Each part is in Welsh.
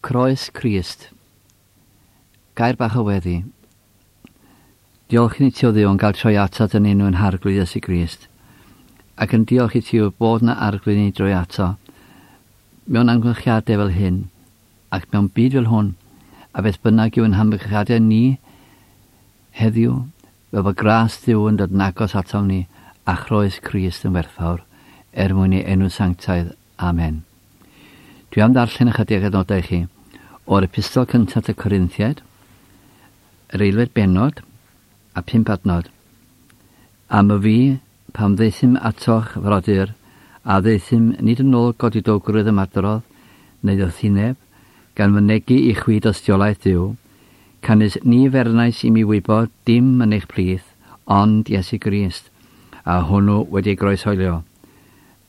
Croes Crist. Gair bach o weddi. Diolch i ni ti o Dduw yn cael troi atat yn enw yn Harglwydd Iesu Grist. Ac yn diolch i ti o bod na arglwydd ni droi ato. Mewn amgylchiadau fel hyn, ac mewn byd fel hwn, a beth bynnag yw yn hamgylchiadau ni heddiw, fel bod gras Duw yn dod yn agos atom ni a chroes Crist yn werthfawr, er mwyn ei enw sanctaidd. Amen. Dwi am ddarllen ychydig adnodau i chi o'r epistol cyntaf at y Corinthiaid, yr eilfed bennod a phump adnod. Am y fi, pam ddaethum atoch, frodyr, a ddaethum nid yn ôl godidowgrwydd ymadrodd neu ddoethineb, gan fynegi i chwi dystiolaeth Duw, canys ni fernais i mi wybod dim yn eich plith, ond Iesu Grist, a hwnnw wedi ei groeshoelio.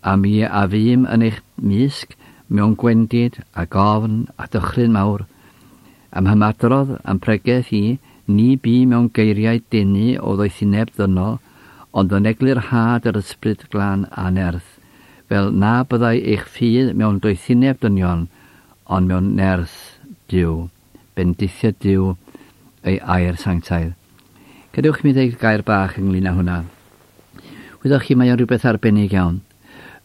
A mi a fûm yn eich mysg mewn gwendid a gofn a dychryn mawr. A'm hymadrodd a'm pregeth i, ni bu mewn geiriau denu o ddoethineb ddynol, ond yn eglurhad yr Ysbryd Glân a nerth, fel na byddai eich ffydd mewn doethineb dynion, ond mewn nerth Duw. Bendithio Duw ei air sanctaidd. Gadewch i mi ddeud gair bach ynglyn â hwnna. Wyddoch chi, mae o'n rhywbeth arbennig iawn.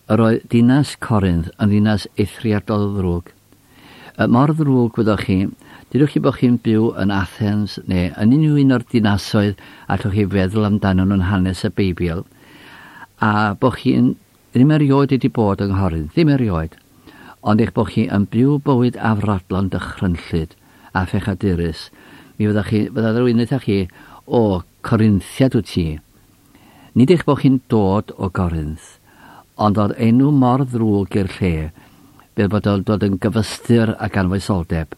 Yr oedd dinas Corinth yn ddinas eithriadol ddrwg. Mor ddrwg, wyddoch chi, dydwch chi bod chi'n byw yn Athens neu yn unrhyw un o'r dinasoedd allwch chi feddwl amdanyn nhw'n hanes y Beibl, a bod chi'n ddim erioed wedi bod yng Nghorinth, ddim erioed, ond eich bod chi yn byw bywyd afradlon dychrynllyd a phechadurus, mi fyddech chi, fydda rhywun yn chi, o, Corinthiad wyt ti. Nid eich bod chi'n dod o Gorinth, ond oedd enw mor ddrwg i'r lle, fel bod o'n dod yn gyfystyr ag anfoesoldeb.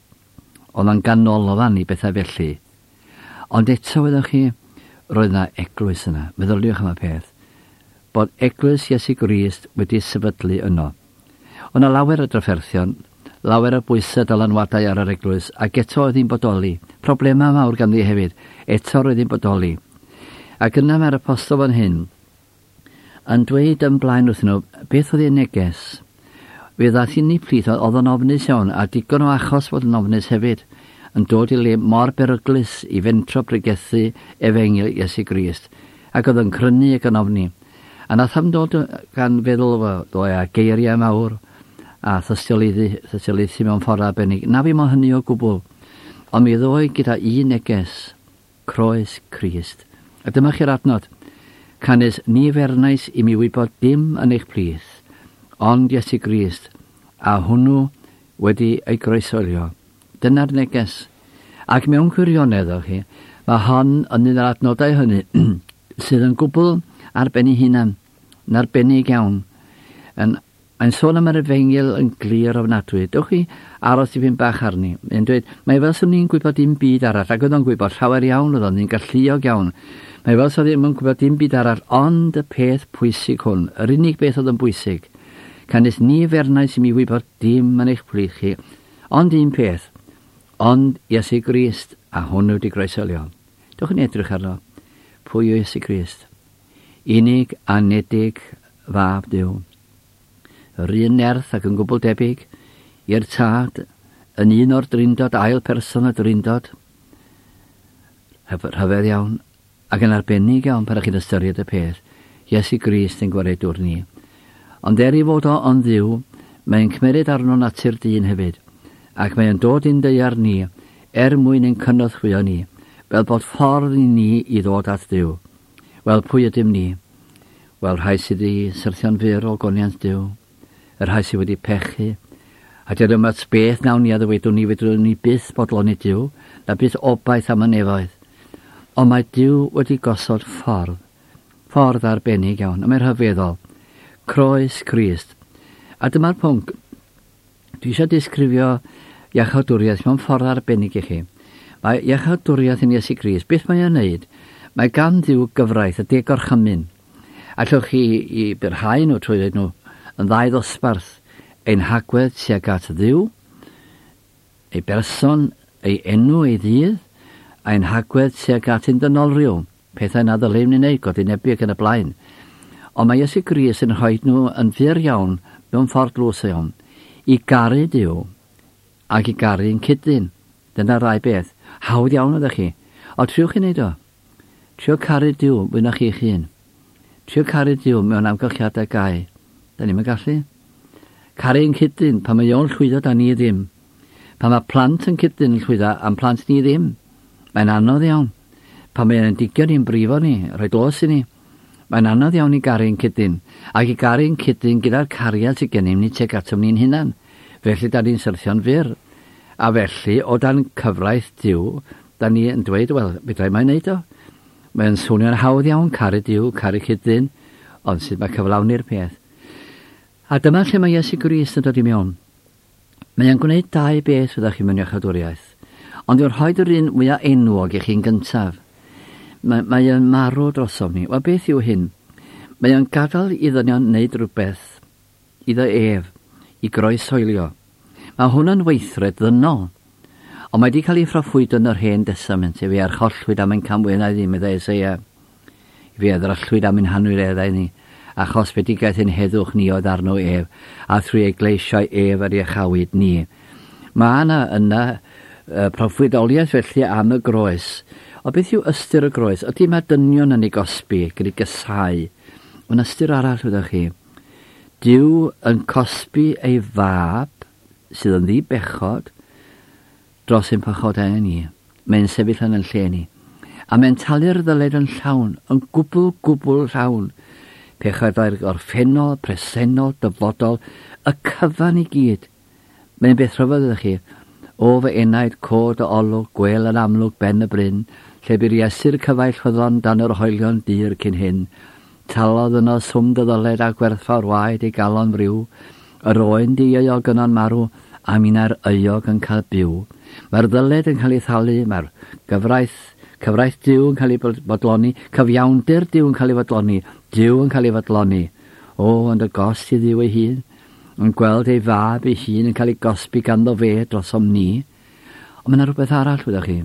Oedd o'n ganolfan i bethau felly. Ond eto, wyddoch chi, roedd yna eglwys yna. Meddyliwch am y peth. Bod eglwys Iesu Grist wedi sefydlu yno. Oedd yna lawer o drafferthion, lawer o bwysau dylanwadau ar yr eglwys, ac eto oedd hi'n bodoli. Problemau mawr ganddi hefyd, eto roedd hi'n bodoli. Ac yna mae'r apostol fan hyn yn dweud yn blaen wrthyn nhw beth oedd ei neges. Fe ddaeth i ni plith, oedd o'n ofnus iawn, a digon o achos fod yn ofnus hefyd, yn dod i le mor beryglus i fentro pregethu efengyl Iesu Grist, ac oedd yn crynu ac yn ofni. A nath am dod gan feddwl ddoe a geiriau mawr a thystiolaethu mewn ffordd arbennig. Na fi mo hynny o gwbl. Ond mi ddoe gyda un neges, croes Crist. A dyma chi'r adnod. Canys ni fernais i mi wybod dim yn eich plith, ond Iesu Grist, a hwnnw wedi ei groeshoelio. Dyna'r neges. Ac mewn gwirionedd, o'ch chi, mae hon yn un o'r adnodau hynny sydd yn gwbl ar ben ei hunan, yn arbennig iawn. Yn Mae'n sôn am yr efengyl yn glir ofnadwy. Dewch chi aros dipyn bach arni. Mae'n dweud, mae fel swn i'n gwybod dim byd arall, ac oedd o'n gwybod llawer iawn, oedd o'n galluog iawn. Mae fel swn i'n gwybod dim byd arall, ond y peth pwysig hwn, yr unig beth oedd yn bwysig, canys ni fernais i mi wybod dim yn eich plith chi, ond un peth, ond Iesu Grist, a hwnnw wedi groeshoelio. Dewch yn edrych arno. Pwy yw Iesu Grist? Unig anedig fab Duw. Yr un nerth ac yn gwbl debyg i'r Tad, yn un o'r Drindod, ail person y Drindod. Rhyfedd iawn, ac yn arbennig iawn pan ych chi'n ystyried y peth, Iesu Grist yn gwaredwr ni. Ond er ei fod o yn Dduw, mae'n cymeryd arno natur dyn hefyd, ac mae'n dod i'n daear ni, er mwyn ein cynorthwyo ni, fel bod ffordd i ni i ddod at Dduw. Wel, pwy ydym ni? Wel, rhai sydd wedi syrthio'n fyr o goniant Duw, y rhai sydd wedi pechu, a dyna yma beth nawn ni a ddywedwn ni, fedrwn ni byth bodloni Duw, na byth obaith am y nefoedd. Ond mae Duw wedi gosod ffordd, ffordd arbennig iawn, a mae'n rhyfeddol. Croes Crist. A dyma'r pwnc. Dwi eisiau disgrifio iachawdwriaeth mewn ffordd arbennig i chi. Mae iachawdwriaeth yn Iesu Grist, beth mae o'n wneud? Mae gan Dduw gyfraith, y deg gorchymyn. Allwch chi i byrhau nhw trwy ddweud nhw yn ddau ddosbarth, ein hagwedd tuag at Dduw, ei berson, ei enw, ei ddydd, a'n hagwedd tuag at ein dynolryw, pethau na ddylem ni wneud, godinebu ac yn y blaen. Ond mae Iesu Grist yn rhoi nhw yn fyr iawn, mewn ffordd dlws iawn, i garu Duw ac i garu'n cydyn. Dyna rai beth. Hawdd iawn ydych chi. O, triwch i wneud o. Trio caru Duw fwy na chi'ch hun. Trio caru Duw mewn amgylchiadau gau. Da ni'm yn gallu. Caru ein cyd-dyn, pan mae o'n llwyddo da ni ddim. Pan mae plant yn cyd-dyn yn llwyddo a'n plant ni ddim. Mae'n anodd iawn. Pan mae ein digion ni'n brifo ni, rhoi glos i ni. Mae'n anodd iawn i garu ein cyd-dyn, ac i garu ein cyd-dyn gyda'r cariad sydd gennym ni tuag atom ni'n hunan. Felly da ni'n syrthio'n fyr. A felly, o dan cyfraith Duw, da ni yn dweud, wel, fedra i mo'i wneud o. Mae'n swnio'n hawdd iawn, caru Duw, caru cyd-dyn, ond sut mae cyflawni'r peth? A dyma lle mae Iesu Grist yn dod i mewn. Mae o'n gwneud dau beth fyddech chi mewn iachawdwriaeth, ond yw'n rhoi yr un mwyaf enwog i chi'n gyntaf. Mae, mae o'n marw drosom ni. Wel, beth yw hyn? Mae o'n gadael i ddynion wneud rhywbeth iddo ef, i groeshoelio. Mae hwn yn weithred ddynol. Ond mae wedi cael ei phroffwydo yn yr Hen Destament, efe archollwyd am ein camweddau ni, meddai Eseia. Fe a ddryllwyd am ein hanwireddau ni, a chosbedigaeth ein heddwch ni oedd arno ef, a thrwy ei gleisiau ef yr iachawyd ni. Mae yna yna proffwydoliaeth felly am y groes. Ond beth yw ystyr y groes? Ydy mae dynion yn ei gosbi, gyda'i gysau? Mae'n ystyr arall, wyddoch chi. Duw yn cosbi ei fab, sydd yn ddi-bechod, dros ein pechodau ni. Mae'n sefyll yn ein lle ni. A mae'n talu'r ddyled yn llawn, yn gwbl, gwbl llawn. Pechodau'r gorffennol, presennol, dyfodol, y cyfan i gyd. Mae'n beth rhyfedd ydych chi. O fy enaid, cod y olwg, gwel yn amlwg ben y bryn, lle bu'r Iesu'r cyfaill ffyddlon dan yr hoelion dur cyn hyn. Talodd yno swm dy ddyled a gwerthfawr waed ei galon friw. Yr oen dieuog yno'n marw, a minnau'r euog yn cael byw. Mae'r ddyled yn cael ei thalu, mae'r gyfraith, cyfraith Duw yn cael ei bodloni, cyfiawnder Duw yn cael ei fodloni, Duw yn cael ei fodloni. O, ond y gost i Dduw ei hun, yn gweld ei fab ei hun yn cael ei gosbi ganddo fe drosom ni. Ond mae yna rhywbeth arall, wyddoch chi.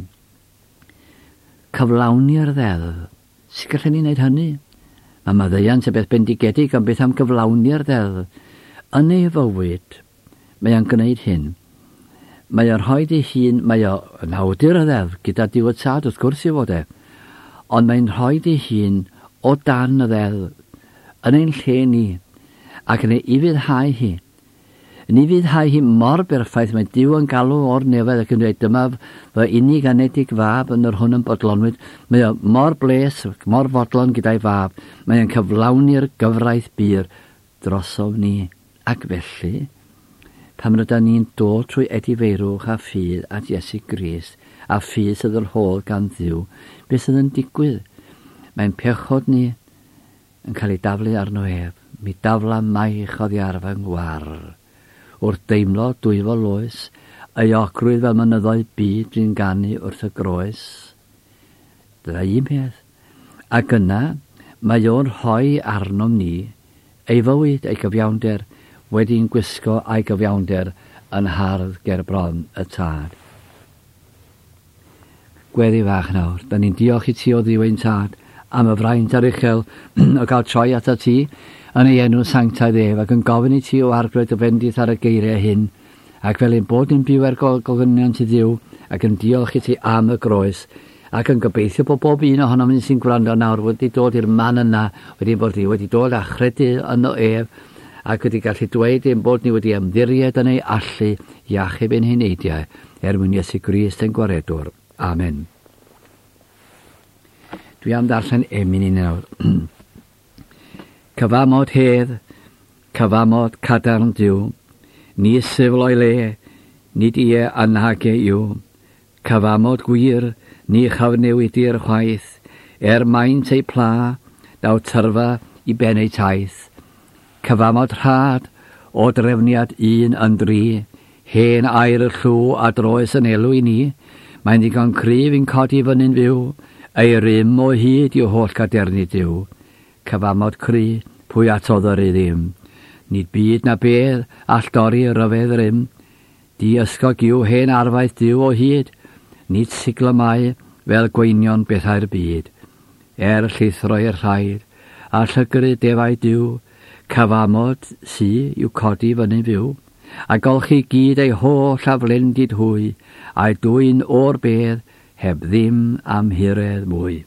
Cyflawni'r ddeddf. Sut gallen ni wneud hynny? Mae maddeuant yn beth bendigedig, ond beth am gyflawni'r ddeddf? Yn ei fywyd, Mae o'n gwneud hyn. Mae o'n rhoi ei hun, mae o yn awdur y ddeddf, gyda Duw y Tad, wrth gwrs i fod e. Ond mae'n rhoi ei hun o dan y ddeddf, yn ein lle ni, ac yn ei ufuddhau hi. Yn ufuddhau hi mor berffaith, mae Duw yn galw o'r nefoedd ac yn dweud, dyma fy unig anedig fab yn yr hwn yn bodlonwyd. Mae o mor bles, mor fodlon gyda'i fab. Mae o'n cyflawni'r gyfraith bur drosom ni. Ac felly, pan rydan ni'n dod trwy edifeirwch a ffydd at Iesu Grist, a ffydd sydd yr holl gan Dduw, beth sydd yn digwydd? Mae'n pechod ni yn cael ei daflu arno ef. Mi dafla maich oddi ar fy ngwar. Wrth deimlo dwyfol loes, euogrwydd fel mynyddoedd byd dwi'n ganu wrth y groes. Dyna un peth. Ac yna, mae o'n rhoi arnom ni Ei fywyd, ei gyfiawnder, wedi'n gwisgo a'i gyfiawnder yn hardd ger bron y Tad. Gweddi fach nawr. Da ni'n diolch i ti o Dduw ein Tad am y fraint aruchel o gael troi atat ti yn ei enw sanctaidd ef ac yn gofyn i ti o Arglwydd dy fendith ar y geiriau hyn ac fel ein bod ni'n byw er gogoniant i Dduw ac yn diolch i ti am y groes Ac yn gobeithio bod bob un ohonom ni sy'n gwrando nawr wedi dod i'r man yna, wedi bod ni wedi dod a chredu yno ef, ac wedi gallu dweud ein bod ni wedi ymddiried yn ei allu i achub ein heneidiau, er mwyn Iesu Grist ein Gwaredwr. Amen. Dwi am ddarllen emyn i ni nawr. Cyfamod hedd, cyfamod cadarn Duw, ni syfl o'i le, nid ie a nage yw. Cyfamod gwir, ni chyfnewidir chwaith, er maint eu pla, daw tyrfa i ben eu taith. Cyfamod rhad, o drefniad un yn dri, hen air y llw a droes yn elw i ni, mae'n ddigon cryf i'n codi fyny'n fyw, ei rym o hyd yw holl gadernid Duw. Cyfamod cry, pwy atodd yr ddim? Nid byd na bedd all dorri ryfedd rym, Di ysgog yw hen arfaeth Duw o hyd, nid siglo mae fel gweinion bethau'r byd. Er llithro i'r rhaid, a llygru defaid Duw, cyfamod sy i'w codi fyny'n fyw. A golchi gyd ei holl aflendid hwy, a'i dwyn o'r bedd heb ddim amhuredd mwy.